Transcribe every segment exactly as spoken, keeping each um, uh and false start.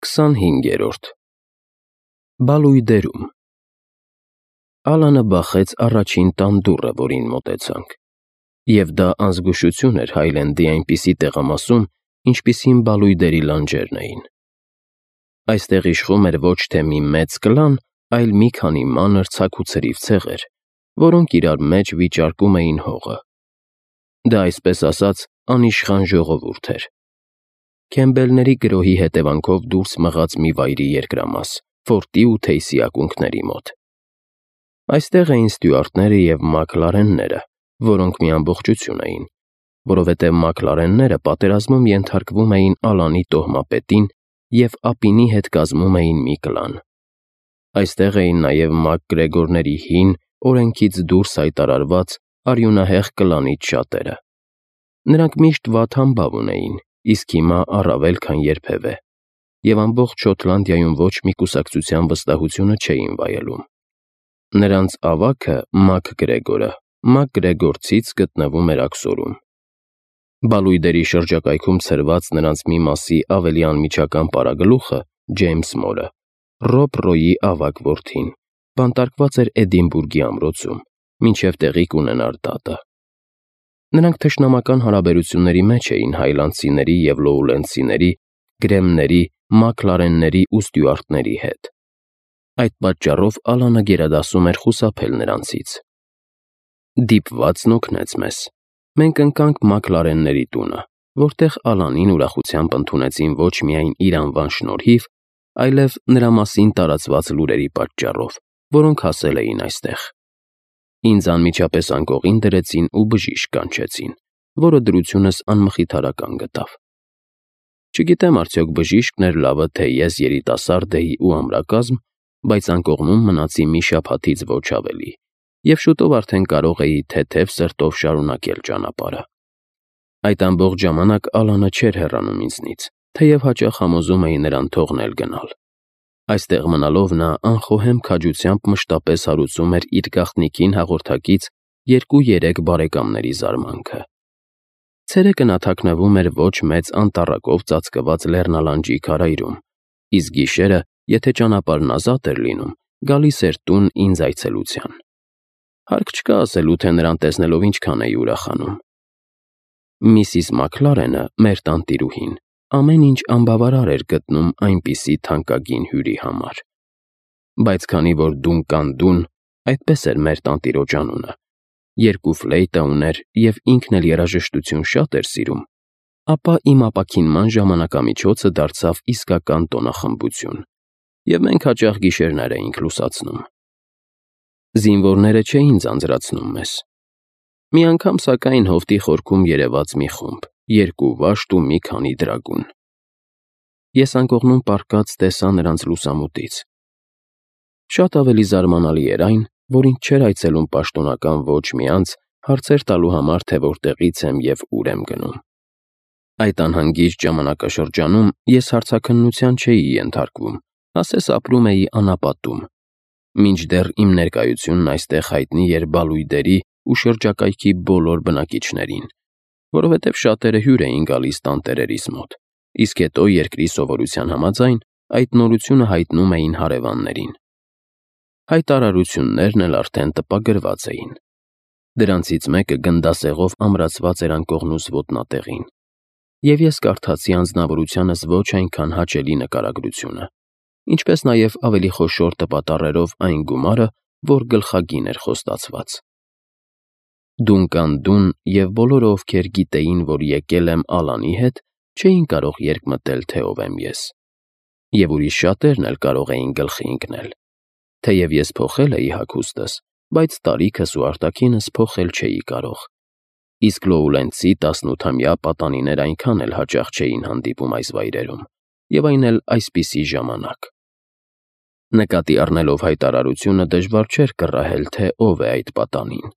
քսանհինգերորդ Բալույդերում Ալանը բախեց առաջին տան դուռը, որին մոտեցանք, և դա անզգուշություն էր Հայլենդի այնպիսի տեղամասում, ինչպիսին բալույդերի լանջերն էին։ Այստեղ իշխում էր ոչ թե մի մեծ կլան, այլ մի քանի մանր ցաքուցրիվ ցեղեր, որոնք իրար մեջ վիճարկում էին հողը։ Դա, այսպես ասած, անիշխան ժողովուրդ էր։ Քեմբելների գրոհի հետևանքով դուրս մղած մի վայրի երկրամաս, Ֆորտի ու Թեյսի ակունքների մոտ։ Այստեղ էին ստյուարտները և մաքլարենները, որոնք մի ամբողջություն էին, որովհետև մաքլարենները պատերազմում ենթարկվում էին Ալանի տոհմապետին և Ապինի հետ կազմում էին մի կլան։ Այստեղ էին նաև մակգրեգորների հին, օրենքից դուրս հայտարարված արյունահեղ կլանից շատերը։ Նրանք միշտ վատ համբավ ունեին, իսկ հիմա առավել քան երբևէ, և ամբողջ Շոտլանդիայում ոչ մի կուսակցության վստահությունը չէին վայելում։ Նրանց ավագը՝ մակգրեգորը, մակգրեգորցից գտնվում էր աքսորում։ Բալույդերի շրջակայքում ցրված նրանց մի մասի ավելի անմիջական պարագլուխը՝ Ջեյմս Մորը, Ռոբ Ռոյի ավագ որդին, բանտարկված էր Էդինբուրգի ամրոցում, մինչև տեղի կունենար դատը։ Նրանք թշնամական հարաբերությունների մեջ էին հայլանդցիների և լոուլենդցիների, գրեմների, մաքլարենների ու ստյուարտների հետ։ Այդ պատճառով Ալանը գերադասում էր խուսափել նրանցից։ Դիպվածն օգնեց մեզ։ Մենք ընկանք մաքլարենների տունը, որտեղ Ալանին ուրախությամբ ընդունեցին ոչ միայն իր անվան շնորհիվ, այլև նրա մասին տարածված լուրերի պատճառով, որոնք հասել էին այստեղ։ Ինձ անմիջապես անկողին դրեցին ու բժիշկ կանչեցին, որը դրությունս անմխիթարական գտավ։ Չգիտեմ արդյոք բժիշկն էր լավը, թե ես երիտասարդ էի ու ամրակազմ, բայց անկողնում մնացի մի շաբաթից ոչ ավելի, և շուտով արդեն կարող էի թեթև սրտով շարունակել ճանապարհը։ Այդ ամբողջ ժամանակ Ալանը չէր հեռանում ինձնից, թեև հաճախ համոզում էի նրան թողնել գնալ։ Այստեղ մնալով նա անխոհեմ քաջությամբ մշտապես հարուցում էր իր գաղտնիքին հաղորդակից երկու֊երեք բարեկամների զարմանքը։ Ցերեկը նա թաքնվում էր ոչ մեծ անտառակով ծածկված լեռնալանջի քարայրում, իսկ գիշերը, եթե ճանապարհն ազատ էր լինում, գալիս էր տուն ինձ այցելության։ Հարկ չկա ասելու, թե նրան տեսնելով ինչքան էի ուրախանում։ Միսիս Մաքլարենը, մեր տանտիրուհին, ամեն ինչ անբավարար էր գտնում այնպիսի թանկագին հյուրի համար։ Բայց քանի որ Դունկան Դուն, այդպես էր մեր տանտիրոջ անունը, երկու ֆլեյտա ուներ և ինքն էլ երաժշտություն շատ էր սիրում, ապա իմ ապաքինման ժամանակամիջոցը դարձավ իսկական տոնախմբություն, և մենք հաճախ գիշերներ էինք լուսացնում։ Զինվորները չէին ձանձրացնում մեզ։ Մի անգամ, սակայն, հովտի խորքում երևաց մի խումբ, երկու վաշտ ու մի քանի դրագուն։ Ես անկողնում պառկած տեսա նրանց լուսամուտից։ Շատ ավելի զարմանալի էր այն, որ ինձ չէր այցելում պաշտոնական ոչ մի անձ հարցեր տալու համար, թե որտեղից եմ և ուր եմ գնում։ Այդ անհանգիստ ժամանակաշրջանում ես հարցաքննության չէի ենթարկվում, ասես ապրում էի անապատում, մինչդեռ իմ ներկայությունն այստեղ հայտնի էր բալույդերի ու շրջակայքի բոլոր բնակիչներին, որովհետև շատերը հյուր էին գալիս տանտերերիս մոտ, իսկ հետո երկրի սովորության համաձայն այդ նորությունը հայտնում էին հարևաններին։ Հայտարարություններն էլ արդեն տպագրված էին։ Դրանցից մեկը գնդասեղով ամրացված էր անկողնուս ոտնատեղին, և ես կարդացի անձնավորությանս ոչ այնքան հաճելի նկարագրությունը, ինչպես նաև ավելի խոշոր տպատառերով այն գումարը, որ գլխագին էր խոստացված։ Դունկան Դուն և բոլորը, ովքեր գիտեին, որ եկել եմ Ալանի հետ, չէին կարող երկմտել, թե ով եմ ես։ Եվ ուրիշ շատերն էլ կարող էին գլխի ընկնել։ Թեև ես փոխել էի հագուստս, բայց տարիքս ու արտաքինս փոխել չէի կարող, իսկ լոուլենդցի տասնութամյա պատանիներ այնքան էլ հաճախ չէին հանդիպում այս վայրերում, և այն էլ այսպիսի ժամանակ։ Նկատի առնելով հայտարարությունը դժվար չէր կռահել, թե ով է այդ պատանին։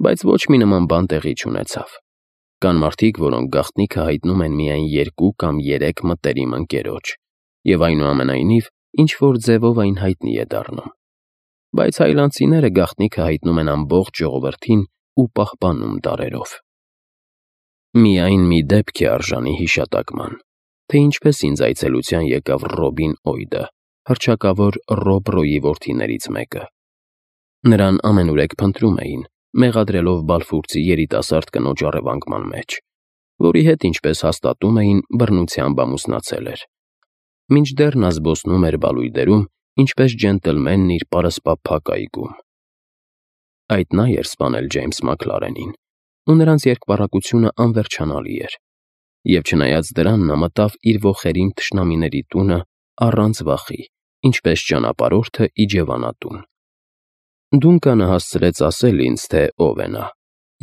Բայց ոչ մի նման բան տեղի չունեցավ։ Կան մարդիկ, որոնք գաղտնիքը հայտնում են միայն երկու կամ երեք մտերիմ ընկերոջ, և այնուամենայնիվ ինչ-որ ձևով այն հայտնի է դառնում։ Բայց հայլանդցիները գաղտնիքը հայտնում են ամբողջ ժողովրդին ու պահպանում դարերով։ Միայն մի դեպք է արժանի հիշատակման, թե ինչպես ինձ այցելության եկավ Ռոբին Օյդը, հռչակավոր Ռոբ Ռոյի որդիներից մեկը։ Նրան ամենուրեք փնտրում էին, մեղադրելով Բալֆուրցի երիտասարդ կնոջ առևանգման մեջ, որի հետ, ինչպես հաստատում էին, բռնությամբ ամուսնացել էր։ Մինչդեռ նա զբոսնում էր բալույդերում, ինչպես ջենտլմենն իր պարսպափակ այգում։ Այդ նա էր սպանել Ջեյմս Մաքլարենին, ու նրանց երկպառակությունը անվերջանալի էր, և չնայած դրան նա մտավ իր ոխերիմ թշնամիների տունը առանց վախի, ինչպես ճանապարհորդը իջևանատուն։ Դունկանը հասցրեց ասել ինձ, թե ով է նա,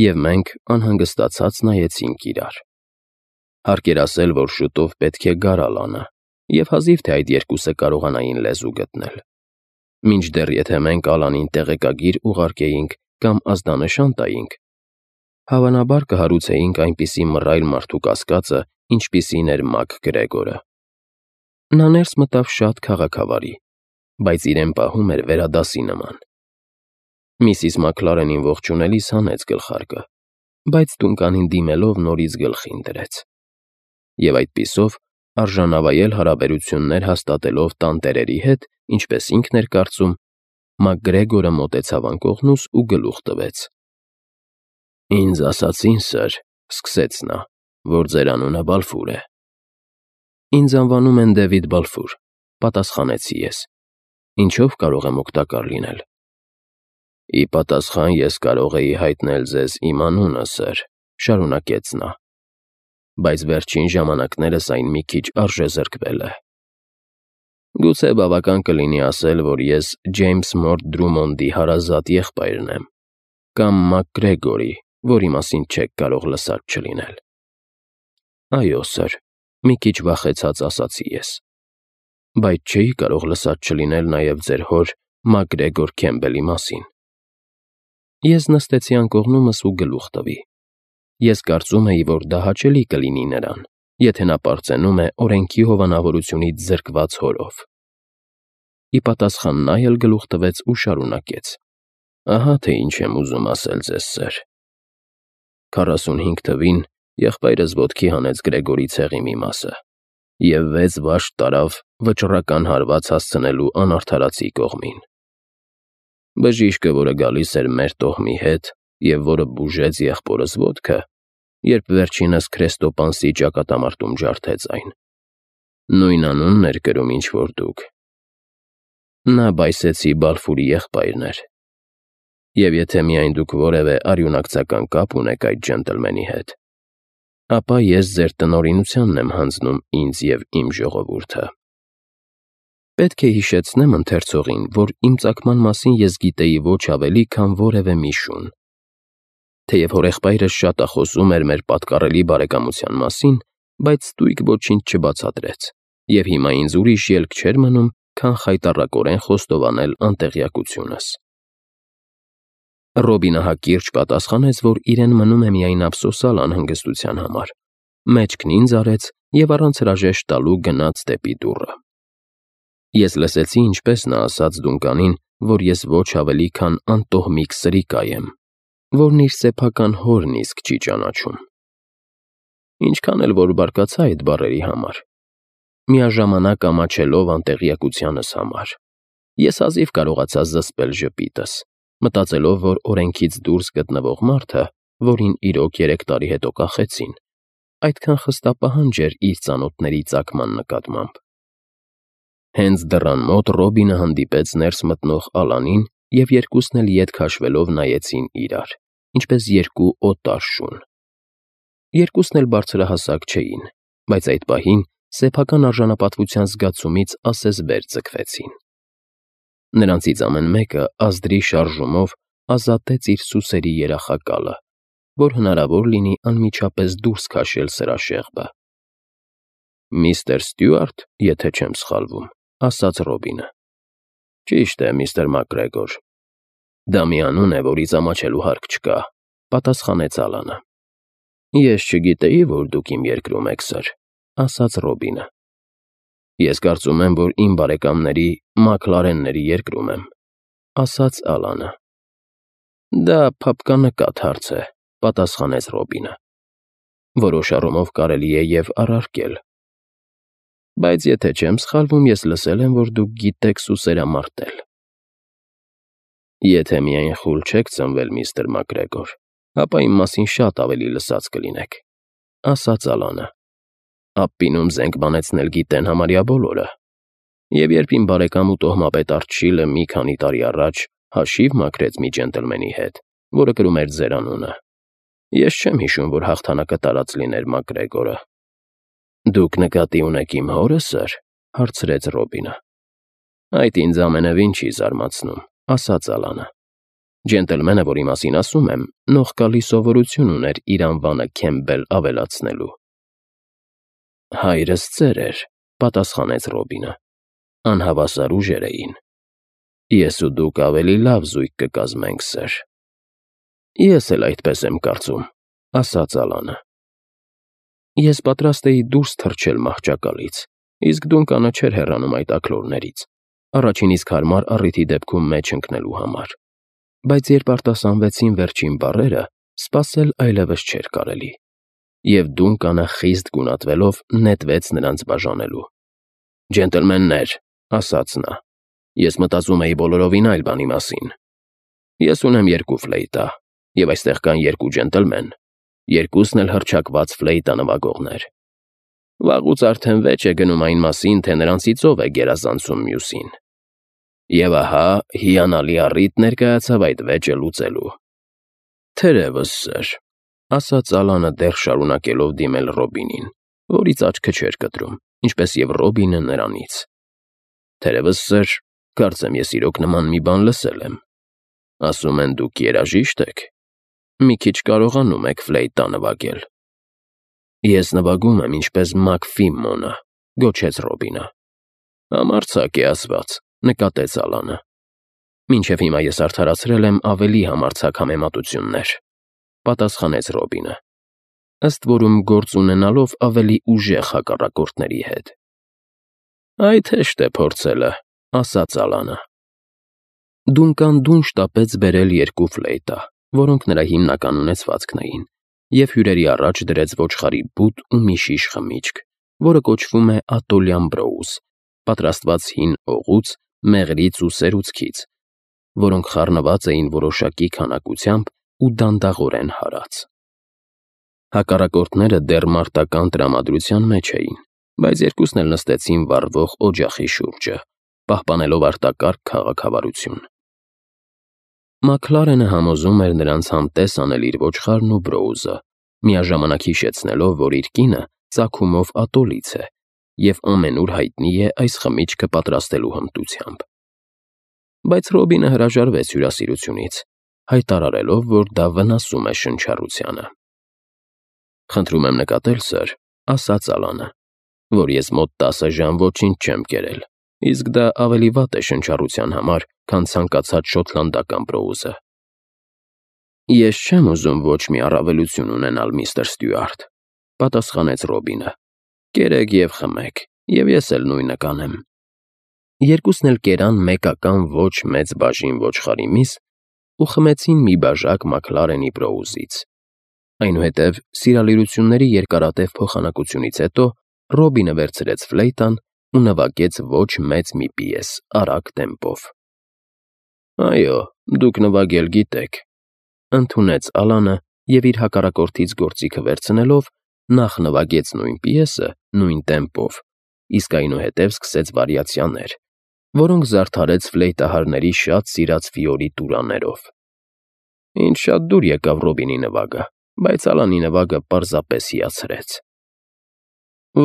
և մենք անհանգստացած նայեցինք իրար։ Հարկ էր ասել, որ շուտով պետք է գար Ալանը, և հազիվ թե այդ երկուսը կարողանային լեզու գտնել։ Մինչդեռ եթե մենք Ալանին տեղեկագիր ուղարկեինք կամ ազդանշան տայինք, հավանաբար կհարուցեինք այնպիսի մռայլ մարդու կասկածը, ինչպիսին էր ՄակԳրեգորը։ Նա ներս մտավ շատ քաղաքավարի, բայց իրեն պահում էր վերադասի նման։ Միսիս Մաքլարենին ողջունելիս հանեց գլխարկը, բայց Դունկանին դիմելով նորից գլխին դրեց։ Եվ այդպիսով, արժանավայել հարաբերություններ հաստատելով տանտերերի հետ, ինչպես ինքն էր կարծում, ՄակԳրեգորը մոտեցավ անկողնուս ու գլուխ տվեց։ «Ինձ ասացին, սըր, ֊ սկսեց նա, ֊ որ ձեր անունը Բալֆուր է»։ «Ինձ անվանում են Դեվիդ Բալֆուր», ֊ պատասխանեցի ես։ «Ինչով կարող եմ օգտակար լինել»։ «Ի պատասխան ես կարող էի հայտնել ձեզ իմ անունը, սըր, ֊ շարունակեց նա, ֊ բայց վերջին ժամանակներս այն մի քիչ արժեզրկվել է։ Գուցե բավական կլինի ասել, որ ես Ջեյմս Մորտ Դրումոնդի հարազատ եղբայրն եմ, կամ ՄակԳրեգորի, որի մասին չեք կարող լսած չլինել»։ «Այո, սըր, ֊ մի քիչ վախեցած ասացի ես, ֊ բայց չէի կարող լսած չլինել նաև ձեր հոր ՄակԳրեգոր Քեմբելի մասին»։ Ես նստեցի անկողնումս ու գլուխ տվի։ Ես կարծում էի, որ դա հաճելի կլինի նրան, եթե նա պարծենում է օրենքի հովանավորությունից զրկված հորով։ Ի պատասխան նա էլ գլուխ տվեց ու շարունակեց. «Ահա թե ինչ եմ ուզում ասել ձեզ, սըր. քառասունհինգ թվին եղբայրս ոտքի հանեց Գրեգորի ցեղի մի մասը և վեց վաշտ տարավ վճռական հարված հասցնելու անարդարացի կողմին։ Բժիշկը, որը գալիս էր մեր տոհմի հետ և որը բուժեց եղբորս ոտքը, երբ վերջինս քրեստոպանսի ճակատամարտում ջարդեց այն, նույն անունն էր կրում, ինչ որ դուք։ Նա Բայսեցի Բալֆուրի եղբայրն էր։ Եվ եթե միայն դուք որևէ արյունակցական կապ ունեք այդ ջենտլմենի հետ, ապա ես ձեր տնօրինությանն եմ հանձնում ինձ և իմ ժողովուրդը»։ Պետք է հիշեցնեմ ընթերցողին, որ իմ ծագման մասին ես գիտեի ոչ ավելի, քան որևէ մի շուն։ Թեև հորեղբայրս շատախոսում էր մեր պատկառելի բարեկամության մասին, բայց ստույգ ոչինչ չբացատրեց, և հիմա ինձ ուրիշ ելք չէր մնում, քան խայտառակորեն խոստովանել անտեղյակությունս։ Ռոբինը հակիրճ պատասխանեց, որ իրեն մնում է միայն ափսոսալ անհանգստության համար, մեջքն ինձ արեց և առանց հրաժեշտ տալու գնաց դեպի դուռը։ Ես լսեցի, ինչպես նա ասաց Դունկանին, որ ես ոչ ավելի, քան անտոհմիկ սրիկա եմ, որն իր սեփական հորն իսկ չի ճանաչում։ Ինչքան էլ որ բարկացա այդ բառերի համար, միաժամանակ ամաչելով անտեղյակությանս համար, ես հազիվ կարողացա զսպել ժպիտս, մտածելով, որ օրենքից դուրս գտնվող մարդը, որին իրոք երեք տարի հետո կախեցին, այդքան խստապահանջ էր իր ծանոթների ծագման նկատմամբ։ Հենց դռան մոտ Ռոբինը հանդիպեց ներս մտնող Ալանին, և երկուսն էլ ետ քաշվելով նայեցին իրար, ինչպես երկու օտար շուն։ Երկուսն էլ բարձրահասակ չէին, բայց այդ պահին սեփական արժանապատվության զգացումից ասես վեր ձգվեցին։ Նրանցից ամեն մեկը ազդրի շարժումով ազատեց իր սուսերի երախակալը, որ հնարավոր լինի անմիջապես դուրս քաշել սրա շեղբը։ «Միստր Ստյուարտ, եթե չեմ սխալվում», ֊ ասաց Ռոբինը։ «Ճիշտ է, միստր ՄակԳրեգոր։ Դա մի անուն է, որից ամաչելու հարկ չկա», ֊ պատասխանեց Ալանը։ «Ես չգիտեի, որ դուք իմ երկրում եք, սըր», ֊ ասաց Ռոբինը։ «Ես կարծում եմ, որ իմ բարեկամների Մաքլարենների երկրում եմ», ֊ ասաց Ալանը։ «Դա փափկանկատ հարց է», ֊ պատասխանեց Ռոբինը։ «Որոշ առումով կարելի է և առարկել։ Բայց եթե չեմ սխալվում, ես լսել եմ, որ դուք գիտեք սուսերամարտել։ Եթե միայն խուլ չեք ծնվել, միստր Մակգրեգոր, ապա իմ մասին շատ ավելի լսած կլինեք, ասաց Ալանը։ Ափպինում զենք բանեցնել գիտեն համարյա բոլորը։ Եվ երբ իմ բարեկամ ու տոհմապետ Արչիլը մի քանի տարի առաջ հաշիվ մաքրեց մի ջենտլմենի հետ, որը կրում էր ձեր անունը, ես չեմ հիշում, որ հաղթանակը տարած լիներ Մակգրեգորը։ Դուք նկատի ունեք իմ հորը, սըր, հարցրեց Ռոբինը։ Այդ ինձ ամենևին չի զարմացնում, ասաց Ալանը։ Ջենտլմենը, որի մասին ասում եմ, նողկալի սովորություն ուներ իր անվանը Քեմբել ավելացնելու։ Հայրս ծեր էր, պատասխանեց Ռոբինը։ Անհավասար ուժեր էին։ Ես ու դուք ավելի լավ զույգ կկազմենք, սըր։ Ես էլ այդպես եմ կարծում, ասաց Ալանը։ Ես պատրաստ էի դուրս թռչել մահճակալից, իսկ Դունկանը չէր հեռանում այդ աքլորներից, առաջին իսկ հարմար առիթի դեպքում մեջ ընկնելու համար։ Բայց երբ արտասանվեցին վերջին բառերը, սպասել այլևս չէր կարելի, և Դունկանը խիստ գունատվելով նետվեց նրանց բաժանելու։ Ջենտլմեններ, ասաց նա, ես մտածում էի բոլորովին այլ բանի մասին։ Ես ունեմ երկու ֆլեյտա, և այստեղ կան երկու ջենտլմեն, երկուսն էլ հռչակված ֆլեյտա նվագողներ։ Վաղուց արդեն վեճ է գնում այն մասին, թե նրանցից ով է գերազանցում մյուսին։ Եվ ահա հիանալի առիթ ներկայացավ այդ վեճը լուծելու։ Թերևս, սըր, ասաց Ալանը դեռ շարունակելով դիմել Ռոբինին, որից աչքը չէր կտրում, ինչպես և Ռոբինը նրանից։ Թերևս, սըր, կարծեմ ես իրոք նման մի բան լսել եմ։ Ասում են դուք երաժիշտ եք։ Մի քիչ կարողանում եք ֆլեյտա նվագել։ Ես նվագում եմ ինչպես Մակֆիմմոնը, գոչեց Ռոբինը։ Համարձակ է ասված, նկատեց Ալանը։ Մինչև հիմա ես արդարացրել եմ ավելի համարձակ համեմատություններ, պատասխանեց Ռոբինը, ըստ որում գործ ունենալով ավելի ուժեղ հակառակորդների հետ։ Այդ հեշտ է փորձելը, ասաց Ալանը։ Դունկան դուն շտապեց բերել երկու ֆլեյտա, որոնք նրա հիմնական ունեցվածքն էին, և հյուրերի առաջ դրեց ոչխարի բութ ու մի շիշ խմիչք, որը կոչվում է ատոլյան բրոուզ, պատրաստված հին օղուց, մեղրից ու սերուցքից, որոնք խառնված էին որոշակի քանակությամբ ու դանդաղորեն հարած։ Հակառակորդները դեռ մարտական տրամադրության մեջ էին, բայց երկուսն էլ նստեցին վառվող օջախի շուրջը, պահպանելով արտակարգ քաղաքավարություն։ Մաքլարենը համոզում էր նրանց համտես անել իր ոչխարն ու բրոուզը, միաժամանակ հիշեցնելով, որ իր կինը ծագումով ատոլից է և ամենուր հայտնի է այս խմիչքը պատրաստելու հմտությամբ։ Բայց Ռոբինը հրաժարվեց հյուրասիրությունից, հայտարարելով, որ դա վնասում է շնչառությանը։ Խնդրում եմ նկատել, սըր, ասաց Ալանը, որ ես մոտ տասը ժամ ոչինչ չեմ կերել, իսկ դա ավելի վատ է շնչառության համար, քան ցանկացած շոտլանդական բրոուզը։ Ես չեմ ուզում ոչ մի առավելություն ունենալ, միստր Ստյուարտ, պատասխանեց Ռոբինը։ Կերեք և խմեք, և ես էլ նույնը կանեմ։ Երկուսն էլ կերան մեկական ոչ մեծ բաժին ոչխարի միս ու խմեցին մի բաժակ Մաքլարենի բրոուզից։ Այնուհետև սիրալիրությունների երկարատև փոխանակությունից հետո Ռոբինը վերցրեց ֆլեյտան ու նվագեց ոչ մեծ մի պիես արագ տեմպով։ Այո, դուք նվագել գիտեք, ընդունեց Ալանը և իր հակառակորդից գործիքը վերցնելով նախ նվագեց նույն պիեսը նույն տեմպով, իսկ այնուհետև սկսեց վարիացիաներ, որոնք զարդարեց ֆլեյտահարների շատ սիրած ֆիորի տուրաներով։ Ինձ շատ դուր եկավ Ռոբինի նվագը, բայց Ալանի նվագը պարզապես հիացրեց։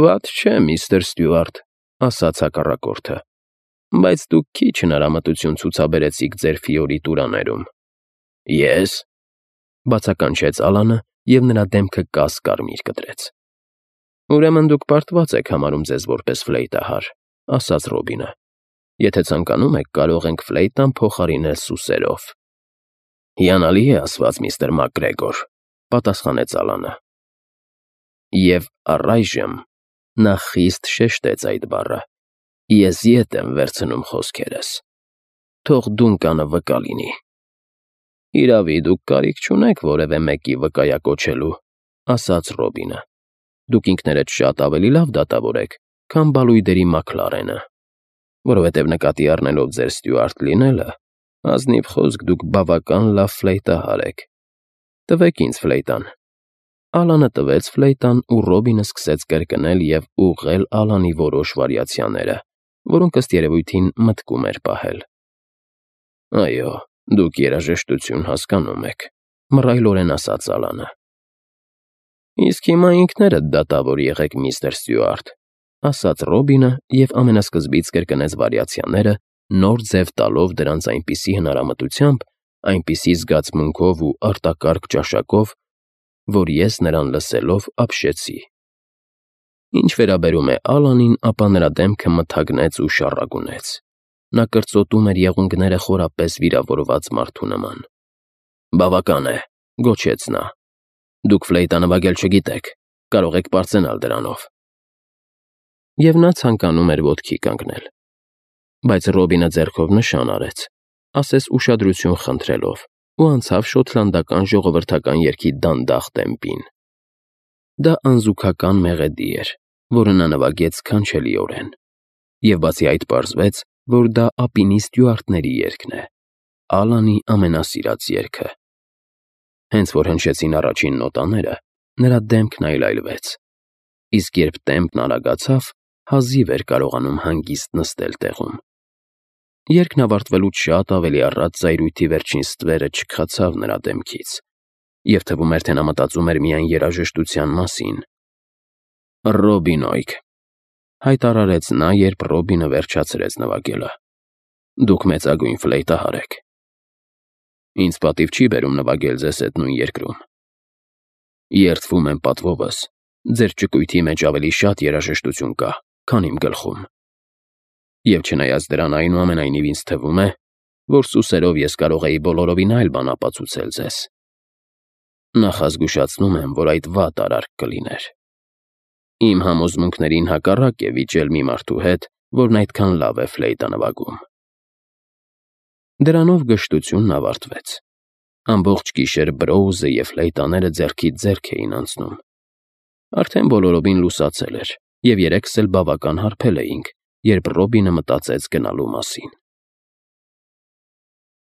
Վատ չէ, միստր Ստյուարտ, ասաց հակառակորդը, բայց դուք քիչ հնարամտություն ցուցաբերեցիք ձեր ֆիորի տուրաներում։ Ես, բացականչեց Ալանը և նրա դեմքը կաս-կարմիր կտրեց։ Ուրեմն դուք պարտված եք համարում ձեզ որպես ֆլեյտահար, ասաց Ռոբինը։ Եթե ցանկանում եք, կարող ենք ֆլեյտան փոխարինել սուսերով։ Հիանալի է ասված, միստր Մակգրեգոր, պատասխանեց Ալանը։ Եվ առայժմ նա խիստ շեշտեց այդ բառը։ Ես ետ եմ վերցնում խոսքերս։ Թող Դունկանը վկա լինի։ Իրավի, դուք կարիք չունեք որևէ մեկի վկայակոչելու, ասաց Ռոբինը։ Դուք ինքներդ շատ ավելի լավ դատավոր եք, քան բալույդերի Մաքլարենը, որովհետև նկատի առնելով ձեր ստյուարդ լինելը, ազնիվ խոսք դուք բավական լավ ֆլեյտահար եք։ Տվեք ինձ ֆլեյտան։ Ալանը տվեց ֆլեյտան, ու Ռոբինը սկսեց կրկնել և ուղղել Ալանի որոշ վարիացիաները, որոնք ըստ երևույթին մտքում էր պահել։ Այո, դուք երաժշտություն հասկանում եք, մռայլորեն ասաց Ալանը։ Իսկ հիմա ինքներդ դատավոր եղեք, միստր Ստյուարտ, ասաց Ռոբինը և ամենասկզբից կրկնեց վարիացիաները, նոր ձև տալով դրանց այնպիսի հնարամտությամբ, այնպիսի զգացմունքով ու արտակարգ ճաշակով, որ ես նրան լսելով ապշեցի։ Ինչ վերաբերում է Ալանին, ապա նրա դեմքը մթագնեց ու շառագունեց։ Նա կրծոտում էր եղունգները խորապես վիրավորված մարդու նման։ Բավական է, գոչեց նա։ Դուք ֆլեյտա նվագել չգիտեք, կարող եք պարծենալ դրանով։ Եվ նա ցանկանում էր ոտքի կանգնել։ Բայց Ռոբինը ձեռքով նշան արեց, ասես ուշադրություն խնդրելով, ու անցավ շոտլանդական ժողովրդական երգի դանդաղ տեմպին։ Դա անզուգական մեղեդի էր, որը նա նվագեց սքանչելիորեն, և բացի այդ պարզվեց, որ դա ապինի ստյուարտների երգն է, Ալանի ամենասիրած երգը։ Հենց որ հնչեցին առաջին նոտաները, նրա դեմքն այլայլվեց, իսկ երբ տեմպն արագացավ, հազիվ էր կարողանում հանգիստ նստել տեղում։ Երգն ավարտվելուց շատ ավելի առաջ զայրույթի վերջին ստվերը չքացավ նրա դեմքից, և թվում էր, թե նա մտածում էր միայն երաժշտության մասին։ Ռոբինոյք, հայտարարեց նա, երբ Ռոբինը վերջացրեց նվագելը։ Դուք մեծագույն ֆլեյտահար եք։ Ինձ պատիվ չի բերում նվագել ձեզ հետ նույն երկրում։ Երդվում եմ պատվովս, ձեր ճկույթի մեջ ավելի շատ երաժշտություն կա, քան իմ գլխում։ Եվ չնայած դրան, այնուամենայնիվ ինձ թվում է, որ սուսերով ես կարող էի բոլորովին այլ բան ապացուցել ձեզ։ Նախազգուշացնում եմ, որ այդ վատ արարք կլիներ։ Իմ համոզմունքներին հակառակ է վիճել մի մարդու հետ, որն այդքան լավ է ֆլեյտա նվագում։ Դրանով գժտությունն ավարտվեց։ Ամբողջ գիշեր Բրոուզը և ֆլեյտաները ձեռքից ձեռք էին անցնում։ Արդեն բոլորովին լուսացել էր, և երեքս էլ բավական հարբել էինք, երբ Ռոբինը մտածեց գնալու մասին։